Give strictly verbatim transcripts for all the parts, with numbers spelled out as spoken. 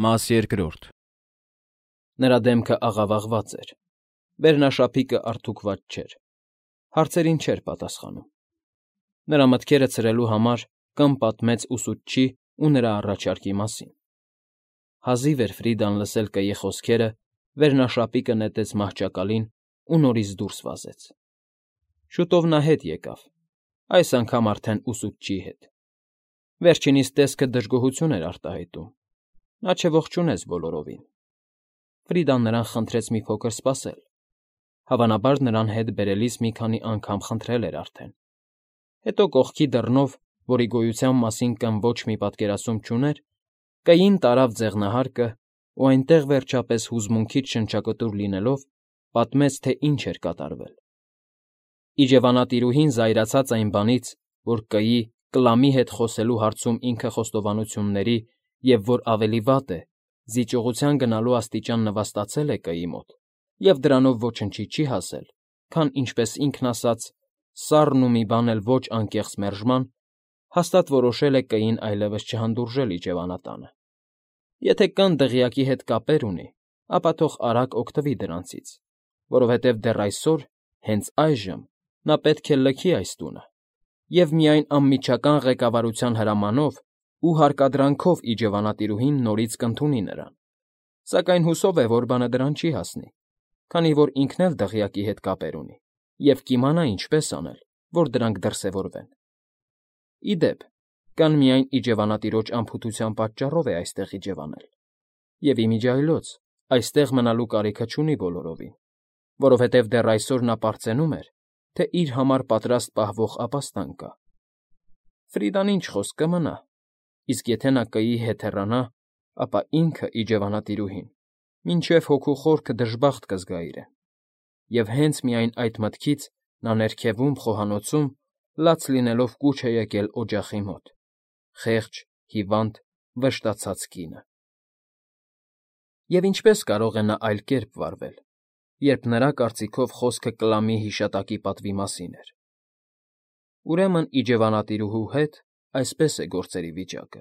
Մաս երկրորդ Նրա դեմքը աղավաղված էր, վերնաշապիկը արթուքված չէր, հարցերին չէր պատասխանում. նրա մտքերը ցրելու համար կամ պատմեց ուսուցչի ու նրա առաջարկի մասին. հազիվ էր Ֆրիդան լսել կգի խոսքերը, վերնաշապիկը նետեց մահճակալին ու նորից դուրս վազեց. շուտով նա հետ եկավ, այս անգամ արդեն ուսուցչի հետ. վերջինիս տեսքը դժգոհություն էր արտահայտում, նա չողջունեց բոլորովին. Ֆրիդան նրան խնդրեց մի փոքր սպասել, հավանաբար նրան հետ բերելիս մի քանի անգամ խնդրել էր արդեն, հետո կողքի դռնով, որի գոյության մասին կան ոչ մի պատկերասում չուներ, կգին տարավ ձեղնահարկը ու այնտեղ վերջապես հուզմունքից շնչակտուր լինելով, պատմեց, թե ինչ էր կատարվել. Իջևանատիրուհին զայրացած այն բանից, որ կգի Կլամի հետ խոսելու հարցում ինքը խոստովանությունների և, որ ավելի վատ է, զիջողության գնալու աստիճան նվաստացել է կգի մոտ և դրանով ոչնչի չի հասել, քան, ինչպես ինքն ասաց, սառն ու մի բան էլ ոչ անկեղծ մերժման, հաստատ որոշել է կգին այլևս չհանդուրժել իջևանատանը. եթե կան դղյակի հետ կապեր ունի, ապա թող արագ օգտվի դրանցից, որովհետև դեռ այսօր, հենց այժմ, նա պետք է լքի այս տունը և միայն անմիջական ղեկավարության հրամանով ու հարկադրանքով իջևանատիրուհին նորից կընդունի նրան, սակայն հուսով է, որ բանը դրան չի հասնի, քանի որ ինքն էլ դղյակի հետ կապեր ունի և կիմանա ինչպես անել, որ դրանք դրսևորվեն. ի դեպ, կան միայն իջևանատիրոջ անփութության պատճառով է այստեղ իջևանել, և ի միջի այլոց այստեղ մնալու կարիքը չունի բոլորովին, որովհետև դեռ այսօր նա պարծենում էր, թե իր համար պատրաստ պահվող ապաստան կա. Ֆրիդան ինչ խոսք կմնա, իսկ եթե նա կգի հետ հեռանա, ապա ինքը, իջևանատիրուհին, մինչև հոգու խորքը դժբախտ կզգա իրեն, և հենց միայն այդ մտքից նա ներքևում, խոհանոցում, լաց լինելով կուչ է եկել օջախի մոտ, խեղճ, հիվանդ, վշտացած կինը։ Եվ ինչպե՞ս կարող է նա այլ կերպ վարվել, երբ նրա կարծիքով խոսքը Կլամի հիշատակի պատվի մասին էր. ուրեմն իջևանատիրուհու հետ այսպես է գործերի վիճակը.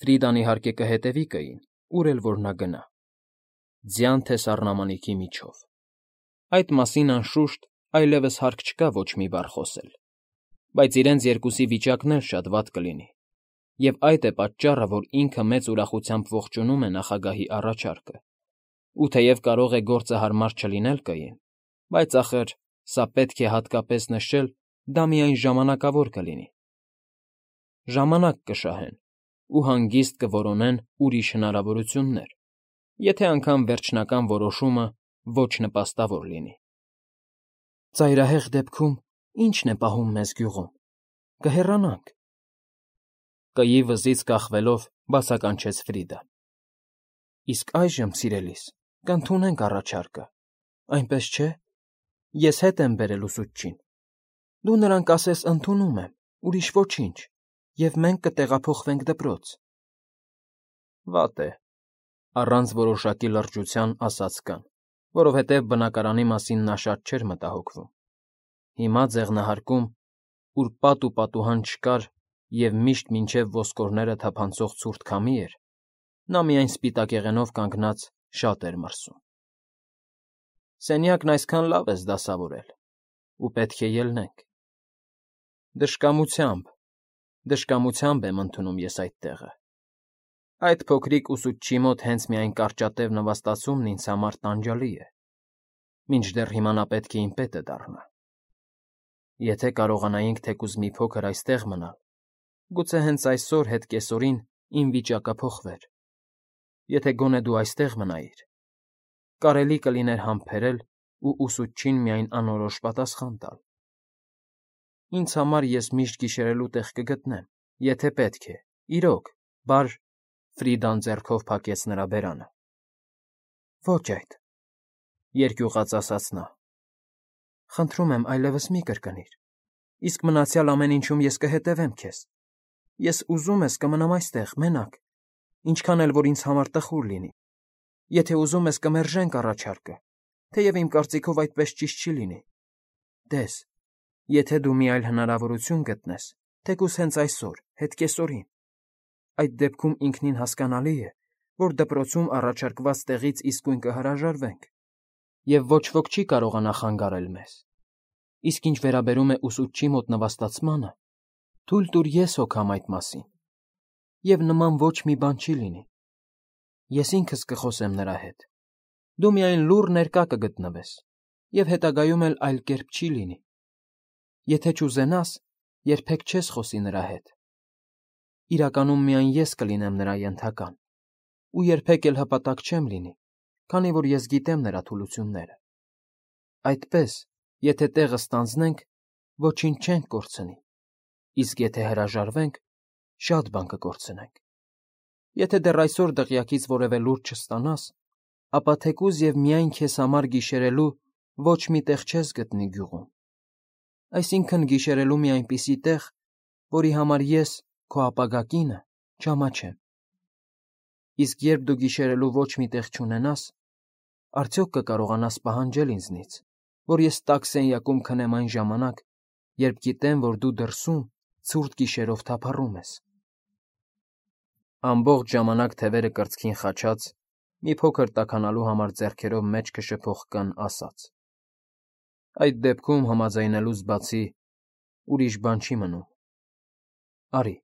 Ֆրիդան, իհարկե, կհետևի կգին, ուր էլ որ նա գնա, ձյան թե սառնամանիքի միջով. այդ մասին, անշուշտ, այլևս հարկ չկա ոչ մի բառ խոսել, բայց իրենց երկուսի վիճակն էլ շատ վատ կլինի, և այդ է պատճառը, որ ինքը մեծ ուրախությամբ ողջունում է նախագահի առաջարկը, ու թեև կարող է գործը հարմար չլինել կգին, բայց, ախր, սա պետք է հատկապես նշել, դա միայն ժամանակավոր կլինի. ժամանակ կշահեն ու հանգիստ կորոնեն ուրիշ հնարավորություններ, եթե անգամ վերջնական որոշումը ոչ նպաստավոր լինի։ Ծայրահեղ դեպքում ի՞նչն է պահում մեզ գյուղում, կհեռանանք… Կգի վզից կախվելով բացականչեց Ֆրիդան. իսկ այժմ, սիրելիս, կընդունենք առաջարկը, այնպես չէ՞, ես հետ եմ բերել ուսուցչին, դու նրան կասես ընդունում եմ, ուրիշ ոչինչ, և մենք կտեղափոխվենք դպրոց… Վատ է, առանց որոշակի լրջության ասաց կան, որովհետև բնակարանի մասին նա շատ չէր մտահոգվում. հիմա ձեղնահարկում, ուր պատ ու պատուհան չկար և միշտ մինչև ոսկորները թափանցող ցուրտ քամի էր, նա միայն սպիտակեղենով կանգնած շատ էր մրսում. սենյակն այսքան լավ ես դասավորել, ու պետք է ելնենք… Դժկամությամբ, դժկամությամբ եմ ընդունում ես այդ տեղը… Այդ փոքրիկ ուսուցչի մոտ հենց միայն կարճատև նվաստացումն ինձ համար տանջալի է, մինչդեռ հիմա նա պետք է իմ պետը դառնա… Եթե կարողանայինք թեկուզ մի փոքր այստեղ մնալ, գուցե հենց այսօր հետ կեսօրին իմ վիճակը փոխվեր… Եթե գոնե դու այստեղ մնայիր, կարելի կլիներ համբերել ու ուսուցչին միայն անորոշ պատասխան տալ… Ինձ համար ես միշտ գիշերելու տեղ կգտնեմ, եթե պետք է, իրոք, բար… Ֆրիդան ձեռքով փակեց նրա բերանը. ոչ այդ… երկյուղած ասաց նա… Խնդրում եմ այլևս մի կրկնիր, իսկ մնացյալ ամեն ինչում ես կհետևեմ քեզ… Ես ուզում ես կմնամ այստեղ, մենակ, ինչքան էլ որ ինձ համար տխուր լինի… Եթե ուզում ես կմերժենք առաջարկը, թեև իմ կարծիքով այդպես ճիշտ չի լինի… Տես, եթե դու մի այլ հնարավորություն գտնես, թեկուզ հենց այսօր, հետ կեսօրին… Այդ դեպքում ինքնին հասկանալի է, որ դպրոցում առաջարկված տեղից իսկույն կհրաժարվենք, և ոչ ոք չի կարողանա խանգարել մեզ։ Իսկ ինչ վերաբերում է ուսուցչի մոտ նվաստացմանը, թույլ տուր ես հոգամ այդ մասին, և նման ոչ մի բան չի լինի։ Ես ինքս կխոսեմ նրա հետ։ Դու միայն լուռ ներկա կգտնվես, և հետագայում էլ այլ կերպ չի լինի։ Եթե չուզենաս, երբեք չես խոսի նրա հետ։ Իրականում միայն ես կլինեմ նրա ենթական, ու երբեք էլ հպատակ չեմ լինի, քանի որ ես գիտեմ նրա թուլությունները։ Այդպես, եթե տեղը ստանձնենք, ոչինչ չենք կորցնի, իսկ եթե հրաժարվենք, շատ բան կկորցնենք։ Եթե դեռ այսօր դղյակից որևէ լուր չստանաս, ապա թեկուզ և միայն քեզ համար գիշերելու ոչ մի տեղ չես գտնի գյուղում։ Այսինքն գիշերելու մի այնպիսի տեղ, որի համար ես, քո ապագա կինը, չամաչեմ։ Իսկ երբ դու գիշերելու ոչ մի տեղ չունենաս, արդյոք կկարողանաս պահանջել ինձնից, որ ես տաք սենյակում քնեմ այն ժամանակ, երբ գիտեմ, որ դու դրսում ցուրտ գիշերով թափառում ես։ Ամբողջ ժամանակ թևերը կրծքին խաչած, մի փոքր տաքանալու համար ձեռքերով մեջքը շփոխկն ասաց. Այդ դեպքում համաձայնելուց բացի ուրիշ բան չի մնում։ Արի։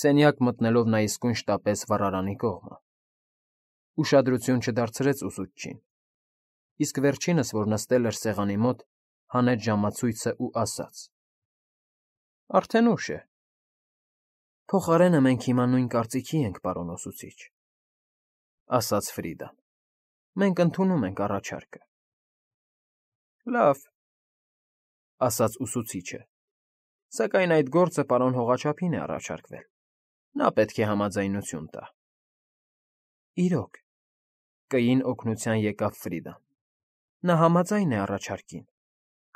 Սենյակ մտնելով նա իսկույն շտապեց վառարանի կողմը։ Ուշադրություն չդարձրեց ուսուցչին, իսկ վերջինս, որ նստել էր սեղանի մոտ, հանեց ժամացույցը ու ասաց. Արդեն ուշ է։ Փոխարենը մենք հիմա նույն կարծիքի ենք, պարոն ուսուցիչ, ասաց Ֆրիդան։ Մենք ընդունում ենք առաջարկը։ Լավ, ասաց ուսուցիչը, սակայն այդ գործը պարոն Հողաչափին է առաջարկվել։ Նա պետք է համաձայնություն տա։ Իրոք, կային օգնության եկավ Ֆրիդան։ Նա համաձայն է առաջարկին,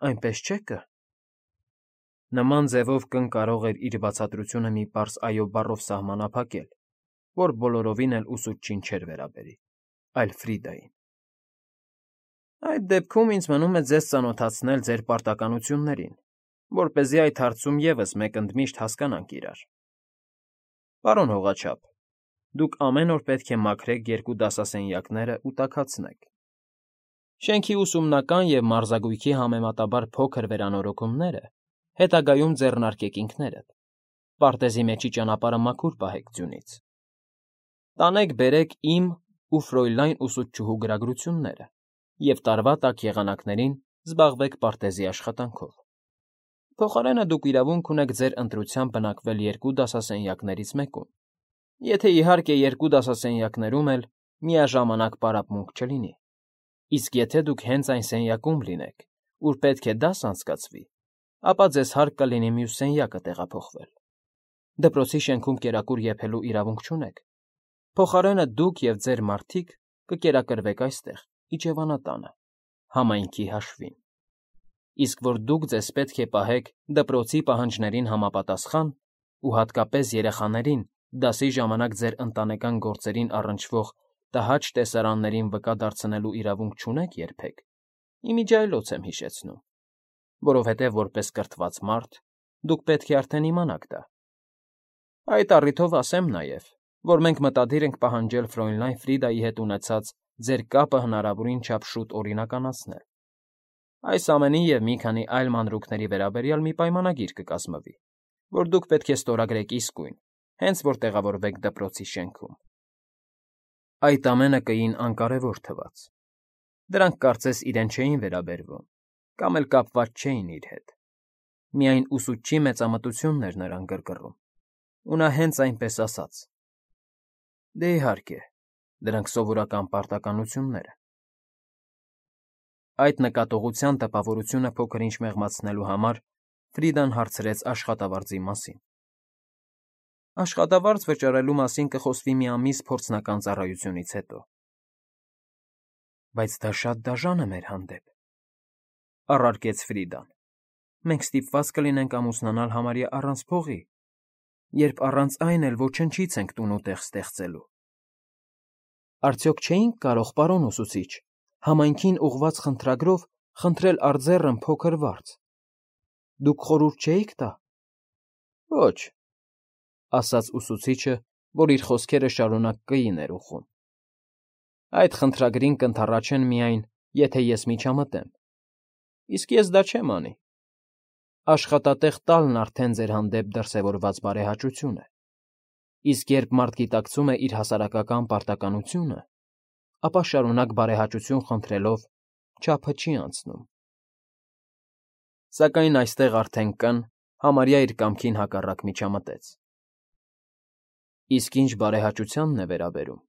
այնպես չէ՞ կը։ Նման ձևով կն կարող էր իր բացատրությունը մի պարզ այո բառով սահմանափակել, որ բոլորովին էլ ուսուցչին չէր վերաբերի, այլ Ֆրիդային։ Այդ դեպքում ինձ մնում է ձեզ ծանոթացնել ձեր պարտականություններին, որպեսզի այդ հարցում ևս մեկ ընդմիշտ հասկանանք իրար։ Պարոն Հողաչափ, դուք ամեն օր պետք է մաքրեք երկու դասասենյակները ու տաքացնեք։ Շենքի ուսումնական և մարզագույքի համեմատաբար փոքր վերանորոգումները հետագայում ձեռնարկեք ինքներդ, պարտեզի մեջի ճանապարհը մաքուր պահեք ձյունից։ Տանեք բերեք իմ ու Ֆրոյլայն ուսուցչուհու գրագրությունները և տարվա տաք եղանակներին զբաղվեք պարտեզի աշխատանքով։ Փոխարենը դուք իրավունք ունեք ձեր ընտրությամբ բնակվել երկու դասասենյակներից մեկում, եթե իհարկե երկու դասասենյակներում էլ միաժամանակ պարապմունք չլինի, իսկ եթե դուք հենց այն սենյակում լինեք, ուր պետք է դաս անցկացվի, ապա ձեզ հարկ կլինի մյուս սենյակը տեղափոխվել։ Դպրոցի շենքում կերակուր եփելու իրավունք չունեք։ Փոխարենը դուք և ձեր մարդիկ կկերակրվեք այստեղ, իջևանատանը, համայնքի հաշվին։ Իսկ որ դուք ձեզ պետք է պահեք դպրոցի պահանջներին համապատասխան ու հատկապես երեխաներին դասի ժամանակ ձեր ընտանեկան գործերին առնչվող տհաճ տեսարաններին վկա դարձնելու իրավունք չունեք երբեք, իմիջիայլոց եմ հիշեցնում, որովհետև որպես կրթված մարդ դուք պետք է արդեն իմանաք դա։ Այդ առիթով ասեմ նաև, որ մենք մտադիր ենք պահանջել Ֆրոյլայն Ֆրիդայի հետ ունեցած ձեր կապը հնարավորին չափ շուտ օրինականացնել։ Այս ամենի և մի քանի այլ մանրուքների վերաբերյալ մի պայմանագիր կկազմվի, որ դուք պետք է ստորագրեք իսկույն, հենց որ տեղավորվեք դպրոցի շենքում։ Այդ ամենը կային անկարևոր թվաց։ Դրանք կարծես իրեն չէին վերաբերվում, կամ էլ կապված չէին իր հետ։ Միայն ուսուցչի մեծամտությունն էր նրան գրգռում, ու նա հենց այնպես ասաց. Դե իհարկե, դրանք սովորական պարտականություններ են։ Այդ նկատողության տպավորությունը փոքր-ինչ մեղմացնելու համար Ֆրիդան հարցրեց աշխատավարձի մասին։ Աշխատավարձ վճարելու մասին կխոսվի մի ամիս փորձնական ծառայությունից հետո։ Բայց դա շատ դաժան է մեր հանդեպ, առարկեց Ֆրիդան։ Մենք ստիպված կլինենք ամուսնանալ համարյա առանց փողի, երբ առանց այն էլ ոչնչից ենք տուն ու տեղ ստեղծելու։ Արդյոք չէինք կարող, պարոն ուսուցիչ, համայնքին ուղղված խնդրագրով խնդրել արձեռն փոքր վարձ։ Դուք խորհուրդ չէիք տա։ Ոչ, ասաց ուսուցիչը, որ իր խոսքերը շարունակ կին էր ուխում։ Այդ խնդրագրին կընդառաջեն միայն, եթե ես միջամտեմ, իսկ ես դա չեմ անի։ Աշխատատեղ տալն արդեն ձեր հանդեպ դրսևորված բարեհաճություն է, իսկ երբ մարդ գիտակցում է իր հասարակական պարտականությունը, ապա շարունակ բարեհաճություն խնդրելով չափը չի անցնում։ Սակայն այստեղ արդեն կն համարյա իր կամքին հակառակ միջամտեց։ Իսկ ինչ բարեհաճությանն է վերաբերում,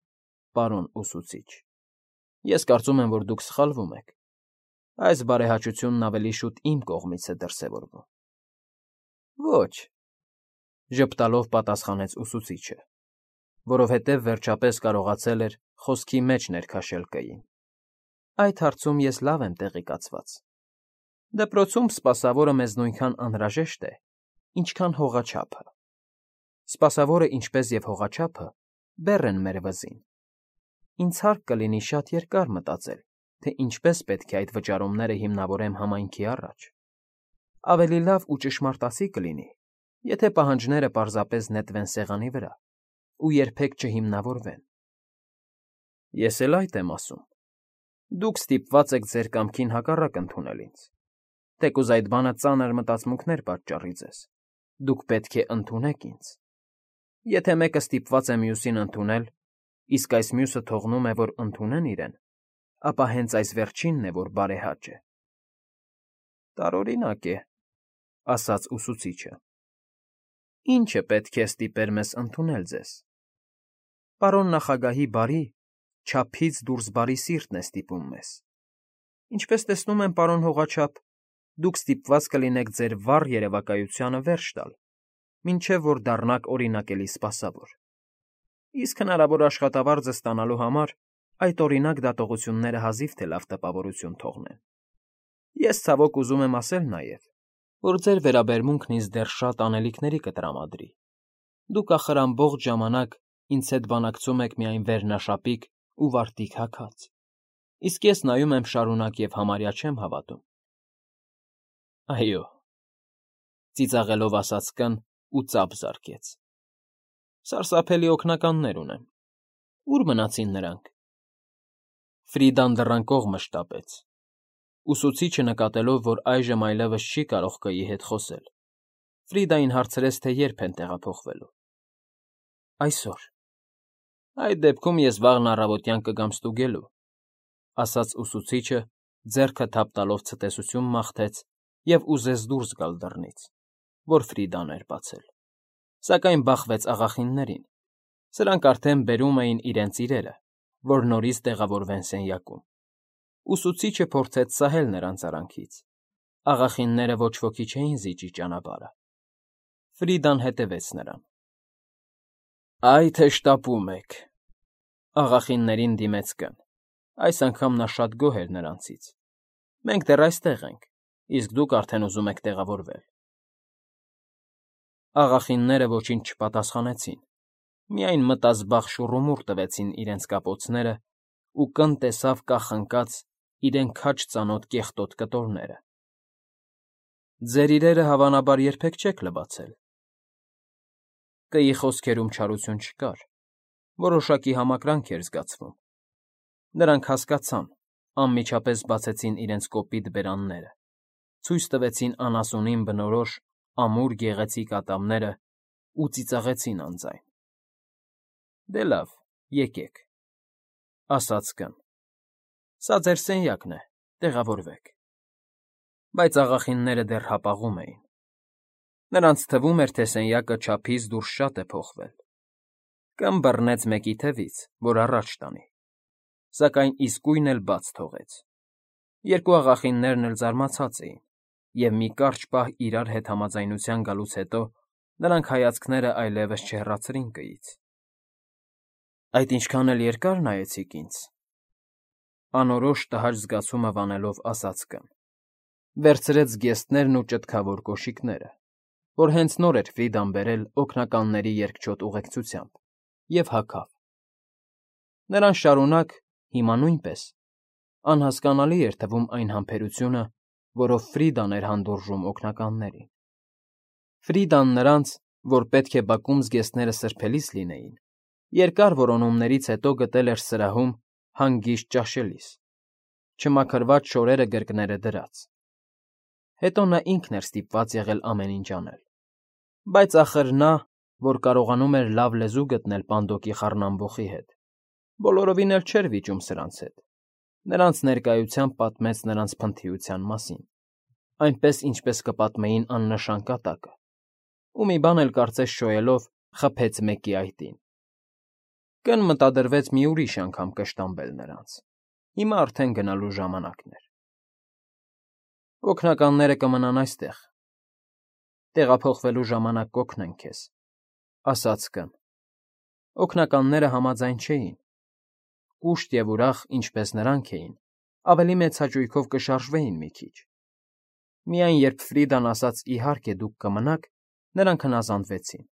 պարոն ուսուցիչ, ես կարծում եմ, որ դուք սխալվում եք, այս բարեհաճությունն ավելի շուտ իմ կողմից է դրսևորվում։ Ոչ, ժպտալով պատասխանեց ուսուցիչը, որովհետև վերջապես կարողացել էր խոսքի մեջ ներքաշել Կ֊ին։ Այդ հարցում ես լավ եմ տեղեկացված։ Դպրոցում սպասավորը մեզ նույնքան անհրաժեշտ է, ինչքան հողաչափը։ Սպասավորը, ինչպես և հողաչափը, բեռ են մեր վզին։ Ինձ հարկ կլինի շատ երկար մտածել, թե ինչպես պետք է այդ վճարումները հիմնավորեմ համայնքի առաջ։ Ավելի լավ ու ճշմարտացի կլինի, եթե պահանջները պարզապես նետվեն սեղանի վրա ու երբեք չհիմնավորվեն։ Ես էլ այդ եմ ասում։ Դուք ստիպված եք ձեր կամքին հակառակ ընդունել ինձ։ Թեկուզ այդ բանը ծանր մտածմունքներ պատճառի ձեզ, դուք պետք է ընդունեք ինձ։ Եթե մեկը ստիպված է մյուսին ընդունել, իսկ այս մյուսը թողնում է, որ ընդունեն իրեն, ապա հենց այս վերջինն է, որ բարեհաճ է։ Տարօրինակ է, ասաց ուսուցիչը։ Ինչը պետք է ստիպեր մեզ ընդունել ձեզ։ Պարոն նախագահի բարի, չափից դուրս բարի սիրտն է ստիպում մեզ։ Ինչպես տեսնում եմ, պարոն հողաչափ, դուք ստիպված կլինեք ձեր վառ երևակայությանը վերջ տալ, մինչև որ դառնաք օրինակելի սպասավոր։ Իսկ հնարավոր աշխատավարձը ստանալու համար այդ օրինակ դատողությունները հազիվ թե լավ տպավորություն թողնեն։ Ես ցավոք ուզում եմ ասել նաև, որ ձեր վերաբերմունքն ինձ դեռ շատ անելիքների կտրամադրի։ Դուք ախր ամբողջ ժամանակ ինձ հետ բանակցում եք միայն վերնաշապիկ ու վարտիք հագած, իսկ ես նայում եմ շարունակ և համարյա չեմ հավատում։ Այո, ծիծաղելով ասաց կն ու ծափ զարկեց։ Սարսափելի օգնականներ ունեմ։ Ուր մնացին նրանք։ Ֆրիդան դռան կողմը շտապեց։ Ուսուցիչը նկատելով, որ այժմ այլևս չի կարող Կ֊ի հետ խոսել, Ֆրիդային հարցրեց, թե երբ են տեղափոխվելու։ Այսօր։ Այդ դեպքում ես վաղն առավոտյան կգամ ստուգելու, ասաց ուսուցիչը, ձեռքը թափ տալով ցտեսություն մաղթեց և ուզեց դուրս գալ դռնից, որ Ֆրիդան էր բացել, սակայն բախվեց աղախիններին։ Սրանք արդեն բերում էին իրենց իրերը, որ նորից տեղավորվեն սենյակում։ Ուսուցիչը փորձեց սահել նրանց արանքից։ Աղախինները ոչ ոքի չէին զիջի ճանապարհը։ Ֆրիդան հետևեց նրան։ Այ թե շտապում եք, աղախիններին դիմեց կն։ Այս անգամ նա շատ գոհ էր նրանցից։ Մենք դեռ այստեղ ենք, իսկ դուք արդեն ուզում եք տեղավորվել։ Աղախինները ոչինչ չպատասխանեցին, միայն մտազբաղ շուռումուռ տվեցին իրենց կապոցները ու կն տեսավ կախնկած իրեն քաջ ծանոթ կեղտոտ կտորները։ Ձեր իրերը, հավանաբար, երբեք չեք լվացել։ Կ֊ի խոսքերում չարություն չկար, որոշակի համակրանք էր զգացվում։ Նրանք հասկացան, անմիջապես բացեցին իրենց կոպիտ բերանները, ցույց տվեցին անասունին բնորոշ ամուր գեղեցիկ ատամները ու ծիծաղեցին անձայն։ Դե լավ, եկեք, ասաց կն։ Սա ձեր սենյակն է, տեղավորվեք։ Բայց աղախինները դեռ հապաղում էին։ Նրանց թվում էր, թե սենյակը չափից դուրս շատ է փոխվել։ Կն բռնեց մեկի թևից, որ առաջ տանի, սակայն իսկույն էլ բաց թողեց։ Երկու աղախիններն էլ զարմացած էին, և մի կարճ պահ իրար հետ համաձայնության գալուց հետո նրանք հայացքները այլևս չհեռացրին Կ֊ից։ Այդ ինչքան էլ երկար նայեցիք ինձ, անորոշ տհաճ զգացումը վանելով ասաց կն։ Վերցրեց զգեստներն ու ճտկավոր կոշիկները, որ հենց նոր էր Ֆրիդան բերել օգնականների երկչոտ ուղեկցությամբ, և հագավ։ Նրան շարունակ, հիմա նույնպես, անհասկանալի էր թվում այն համբերությունը, որով Ֆրիդան էր հանդուրժում օգնականներին։ Ֆրիդան նրանց, որ պետք է բակում զգեստները սրբելիս լինեին, Երկար որոնումներից հետո գտել էր սրահում հանգիստ ճաշելիս, չմաքրված շորերը գրկները դրած. հետո նա ինքն էր ստիպված եղել ամեն ինչ անել, բայց ախր նա, որ կարողանում էր լավ լեզու գտնել Պանդոկի խառնամբոխի հետ, բոլորովին էլ չէր վիճում սրանց հետ, նրանց ներկայությամբ պատմեց նրանց փնթիության մասին, այնպես, ինչպես կպատմեին աննշան կատակը, ու մի բան էլ կարծես շոյելով խփեց մեկի այտին։ Կն մտադրվեց մի ուրիշ անգամ կշտամբել նրանց, հիմա արդեն գնալու ժամանակն էր։ Օգնականները կմնան այստեղ, տեղափոխվելու ժամանակ կօգնեն քեզ, ասաց կն։ Օգնականները համաձայն չէին, կուշտ և ուրախ, ինչպես նրանք էին, ավելի մեծ հաճույքով կշարժվեին մի քիչ։ Միայն երբ Ֆրիդան ասաց իհարկե դուք կմնաք, նրանք հնազանդվեցին։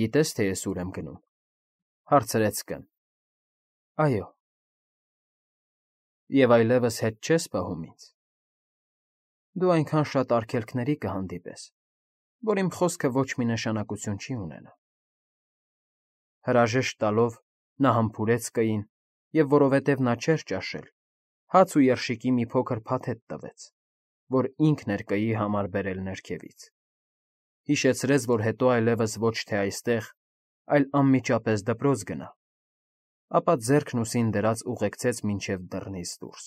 Գիտե՞ս, թե ես ուր եմ գնում, հարցրեց կն։ Այո։ Եվ այլևս հետ չես պահում ինձ։ Դու այնքան շատ արգելքների կհանդիպես, որ իմ խոսքը ոչ մի նշանակություն չի ունենա։ Հրաժեշտ տալով նա համբուրեց կին և, որովհետև նա չէր ճաշել, հաց ու երշիկի մի փոքր փաթեթ տվեց, որ ինքն էր կîի համար բերել ներքևից, հիշեցրեց, որ հետո այլևս ոչ թե այստեղ, այլ անմիջապես դպրոց գնա, ապա ձեռքն ուսին դրած ուղեկցեց մինչև դռնից դուրս։